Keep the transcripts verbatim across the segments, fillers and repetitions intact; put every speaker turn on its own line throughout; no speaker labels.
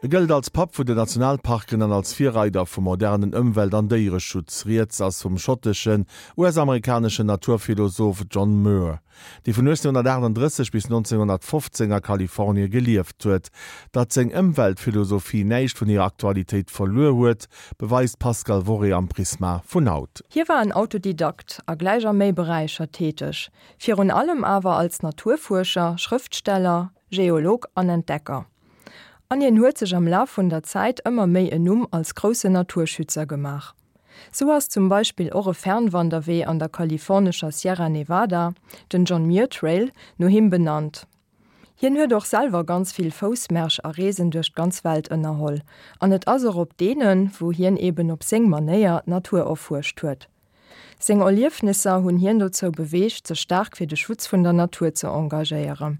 E gëllt als Papp vun den Nationalparken an als Virreider vum modernen Ëmwelt an Déiereschutz. Rieds ass vum schotteschen, US-amerikaneschen Naturphilosoph John Muir, dee vun uechtzénhunnertaachtanddrësseg bis nonzénhunnertfofzéng a Kalifornie gelieft huet. Datt seng Ëmweltphilosophie näischt vun hirer Aktualitéit verluer huet, beweist d'Pascale Worré am Prisma vun haut.
Hie war en Autodidakt a gläich a méi Beräicher täteg, virun allem awer als Naturfuerscher, Schrëftsteller, Geolog an Entdecker. An hien huet sech am Laf vun der Zäit ëmmer méi en Numm als groussen Naturschützer gemaach. Sou ass zum Beispill och e Fernwanderwee an der kalifornescher Sierra Nevada, den John Muir Trail, no him benannt. Hien huet och selwer ganz vill Foussmärsch a Reesen duerch d'ganz Welt ënnerholl, an et ass och op deenen, wou hien eben op seng Manéier d'Natur erfuerscht huet. Seng Erliefnisser hunn hien dozou beweegt, sech staark fir de Schutz vun der Natur ze engagéieren.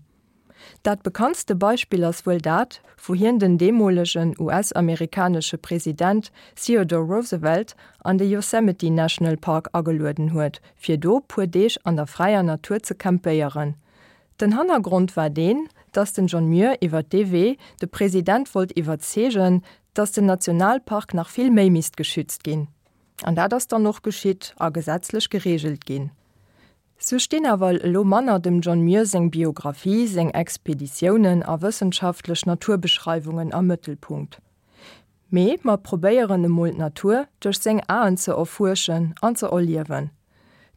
Dat bekanntste Beispill ass wuel dat, wou hien den deemolegen U S-amerikanesche President Theodore Roosevelt an de Yosemite National Park agelueden huet, fir do puer Deeg an der fräier Natur ze campéieren. Den Hannergrond war deen, dass den John Muir iwwer dee Wee de President wollt iwwerzeegen, dass den Nationalpark nach vill méi misst geschützt ginn. An dat ass dann och geschitt a gesetzlech gereegelt ginn. Sou stinn awer elo manner dem John Muir seng Biographie, seng Expeditiounen a wëssenschaftlech Naturbeschreiwungen am Mëttelpunkt. Mee mer probéieren emol d'Natur duerch seng Aen ze erfuerschen an ze erliewen.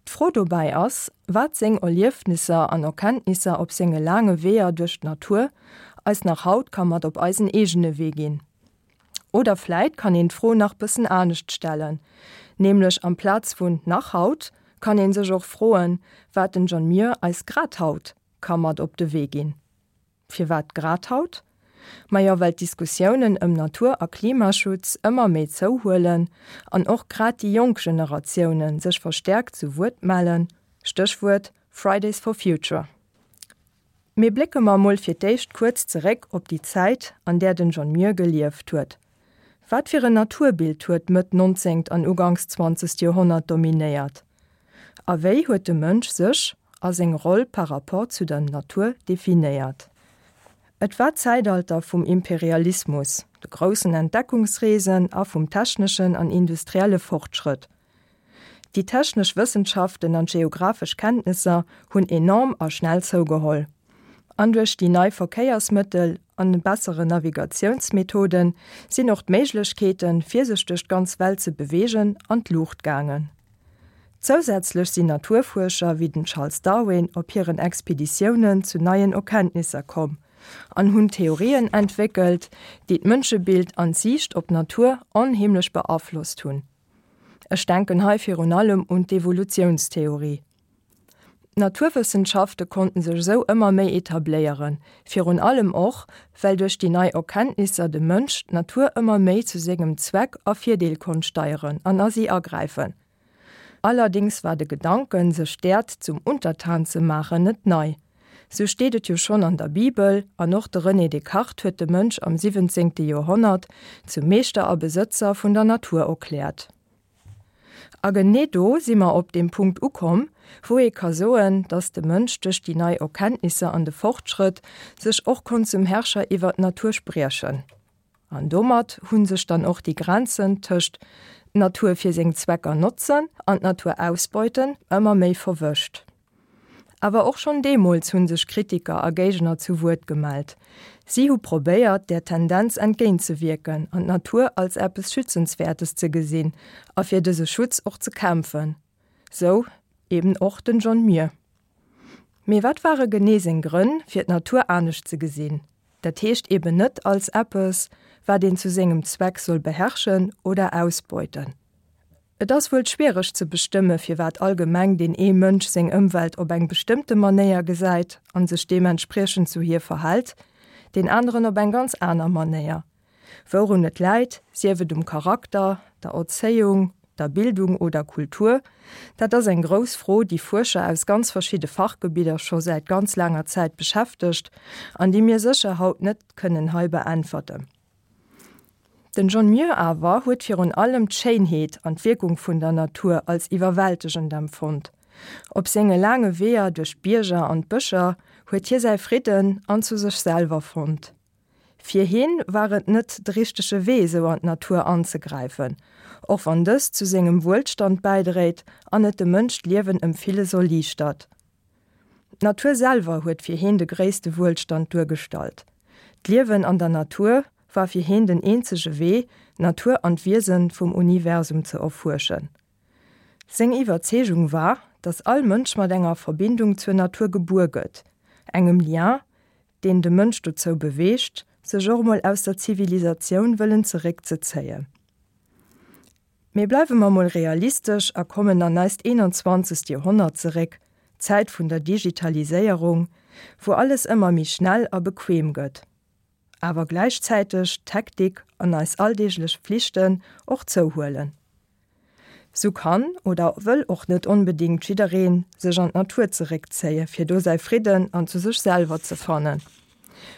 D'Fro dobäi ass, wat seng Erliefnisser an Erkenntnisser op senge laange Weeër duerch d'Natur eis nach haut ka mat op eisen eegene Wee ginn. Oder vläit kann een d'Fro nach bëssen anescht stellen, nämlech amplaz vun nach haut kann een sech och froen, wat den John Muir eis grad haut ka mat op de Wee ginn. Firwat grad haut? Majo well d'Diskussiounen ëm Natur a Klimaschutz ëmmer méi zouhuelen an och grad déi jonk Generatiounen sech verstäerkt zu Wuert mellen, Stéchwuert Fridays for Future. Mee blécke mer mol fir d'éischt kuerz zeréck op déi Zäit, an där den John Muir gelieft huet. Wat fir en Naturbild huet Mëtt nonzéngt an uganks zwanzegt Joerhonnert dominéiert? A wéi huet de Mënsch sech a seng Roll par rapport zu der Natur definéiert? Et war d'Zäitalter vum Imperialismus, de groussen Entdeckungsreesen a vum techneschen an industrielle Fortschrëtt. Déi technesch Wëssenschaften an d'geographesch Kenntnisser hunn enorm a schnell zougeholl. An duerch déi nei Verkéiersmëttel an bessere Navigatiounsmethoden sinn och d'Méiglechkeeten, fir sech duerch d'ganz Welt ze beweegen, an d'Luucht gaangen. Zousätzlech sinn Naturfuerscher wéi den Charles Darwin op hiren Expeditiounen zu neien Erkenntnisser komm an hunn Theorien entwéckelt, déi d'Mënschebild an d'Siicht op d'Natur onheemlech beaflosst hunn. Ech denken hei virun allem un d'Evolutiounstheorie. D'Naturwëssenschafte konnten sech esou ëmmer méi etabléieren, virun allem och, well duerch déi nei Erkenntnisser de Mënsch d'Natur ëmmer méi zu sengem Zweck a Virdeel konnt steieren an a si agräifen. Allerdéngs war de Gedanken, sech d'Äerd zum Untertan ze maachen, net nei. Sou steet et jo schonn an der Bibel, an och de René Descartes huet de Mënsch am siwwenzéngte Joerhonnert zum Meeschter a Besëtzer vun der Natur erkläert. A genee do si mer op deem Punkt ukomm, wou ee ka soen, dass de Mënsch duerch déi nei Erkenntnisser an de Fortschrëtt sech och konnt zum Herrscher iwwer d'Natur spriechen. An domat hu sech dann och déi Grenzen tëscht d'Natur fir seng Zwecker notzen an d'Natur ausbeuten ëmmer méi verwëscht. Awer och schonn deemools hu sech Kritiker a Géigner zu Wuert gemellt. Si hu probéiert, där Tendenz entgéintzewierken an d'Natur als eppes Schützenswäertes ze gesinn a fir dëse Schutz och ze kämpfen. Sou eben och den John Muir. Mee wat ware genee seng Grënn, fir d'Natur anescht ze gesinn? Dat heescht eben net als eppes, wat een zu sengem Zweck soll beherrschen oder ausbeuten. Et ass wuel schwiereg ze bestëmme firwat allgemeng deen ee Mënsch seng Ëmwelt op eng bestëmmte Manéier gesäit an sech deementspriechend zu hir verhält, deen aneren op eng ganz aner Manéier. Wourun et läit, sief et um Charakter, der Erzéiung, der Bildung oder Kultur, dat ass eng grouss Fro, déi Fuerscher aus ganz verschidde Fachgebidder scho säit ganz laanger Zäit beschäftegt an déi mir sécher haut net kënnen hei beäntwerten. Den John Muir awer huet virun allem d'Schéinheet an d'Wierkung vun der Natur als iwwerwältegend empfonnt. Op senge laange Weeër duerch d'Bierger an d'Bëscher huet hie säi Fridden an zu sech selwer fonnt. Fir hien war et net de richtege Wee sou an d'Natur anzegräifen, och wann dës zu sengem Wuelstand bäidréit an et dem Mënsch d'Liewen ëm villes erliichtert. D'Natur selwer huet fir hien de gréisste Wuelstand duergestallt. D'Liewen an der Natur war fir hien den eenzege Wee, d'Natur an d'Wiese vum Universum ze erfuerschen. Seng Iwwerzeegung war, dass all Mënsch mat enger Verbindung zur Natur gebuer gëtt, engem Lien, deen de Mënsch dozou beweegt, sech och mol aus der Zivilisatioun wëllen zeréckzezéien. Mee bleiwe mer mol realistesch a kommen an eist eenanzwanzegt Joerhonnert zeréck, d'Zäit vun der Digitaliséierung, wou alles ëmmer méi schnell a bequem gëtt, awer gläichzäiteg d'Hektik an eis alldeeglech Flichten och zouhuelen. Sou kann oder wëll och net onbedéngt jidderee sech an d'Natur zeréckzéie fir do säi Fridden an zu sech selwer ze fannen.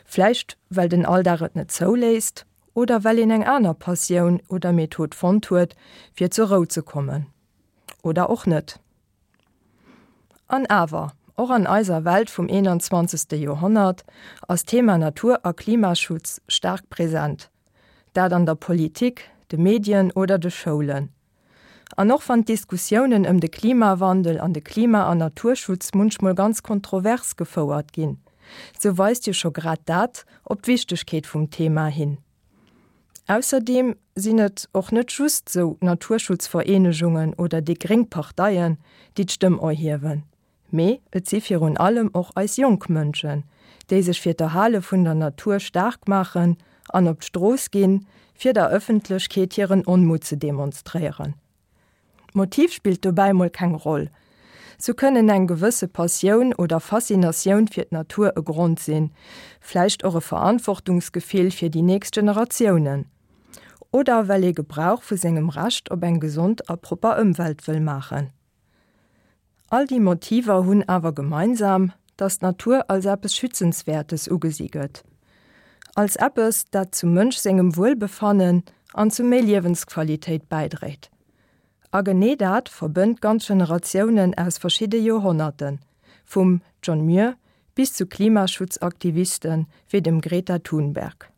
Vläicht well den Alldag et net zouléisst oder well een eng aner Passioun oder Method fonnt huet, fir zur Rou ze kommen. Oder och net. An awer, och an eiser Welt vum eenanzwanzegste Joerhonnert ass d'Thema Natur a Klimaschutz staark present. Dat an der Politik, de Medien oder de Schoulen. An och wann d'Diskussiounen ëm de Klimawandel an de Klima an Naturschutz munchmol ganz kontrovers gefouert ginn, sou weist jo scho grad dat op d'Wichtegkeet vum Thema hin. Ausserdeem sinn et och net just sou Naturschutzvereenegungen oder déi gréng Parteien, déi d'Stëmm erhiewen, mee et si virun allem och eis jonk Mënschen, déi sech fir d'Erhale vun der Natur staark maachen an op d'Strooss ginn, fir der Ëffentlechkeet hiren Onmutt ze demonstréieren. D'Motiv spillt dobäi mol keng Roll. Sou kënnen eng gewësse Passioun oder Faszinatioun fir d'Natur e Grond sinn, vläicht och e Verantwortungsgefill fir déi nächst Generatiounen. Oder well ee Gebrauch vu sengem Recht op eng gesond a propper Ëmwelt wëll maachen. All déi Motiver hunn awer gemeinsam, dass d'Natur als eppes Schützenswäertes ugesi gëtt. Als eppes, dat zum Mënsch sengem Wuelbefannen an zu méi Liewensqualitéit bäidréit. A genee dat verbënnt ganz Generatiounen aus verschidde Joerhonnerten, vum John Muir bis zu Klimaschutzaktivisten wéi dem Greta Thunberg.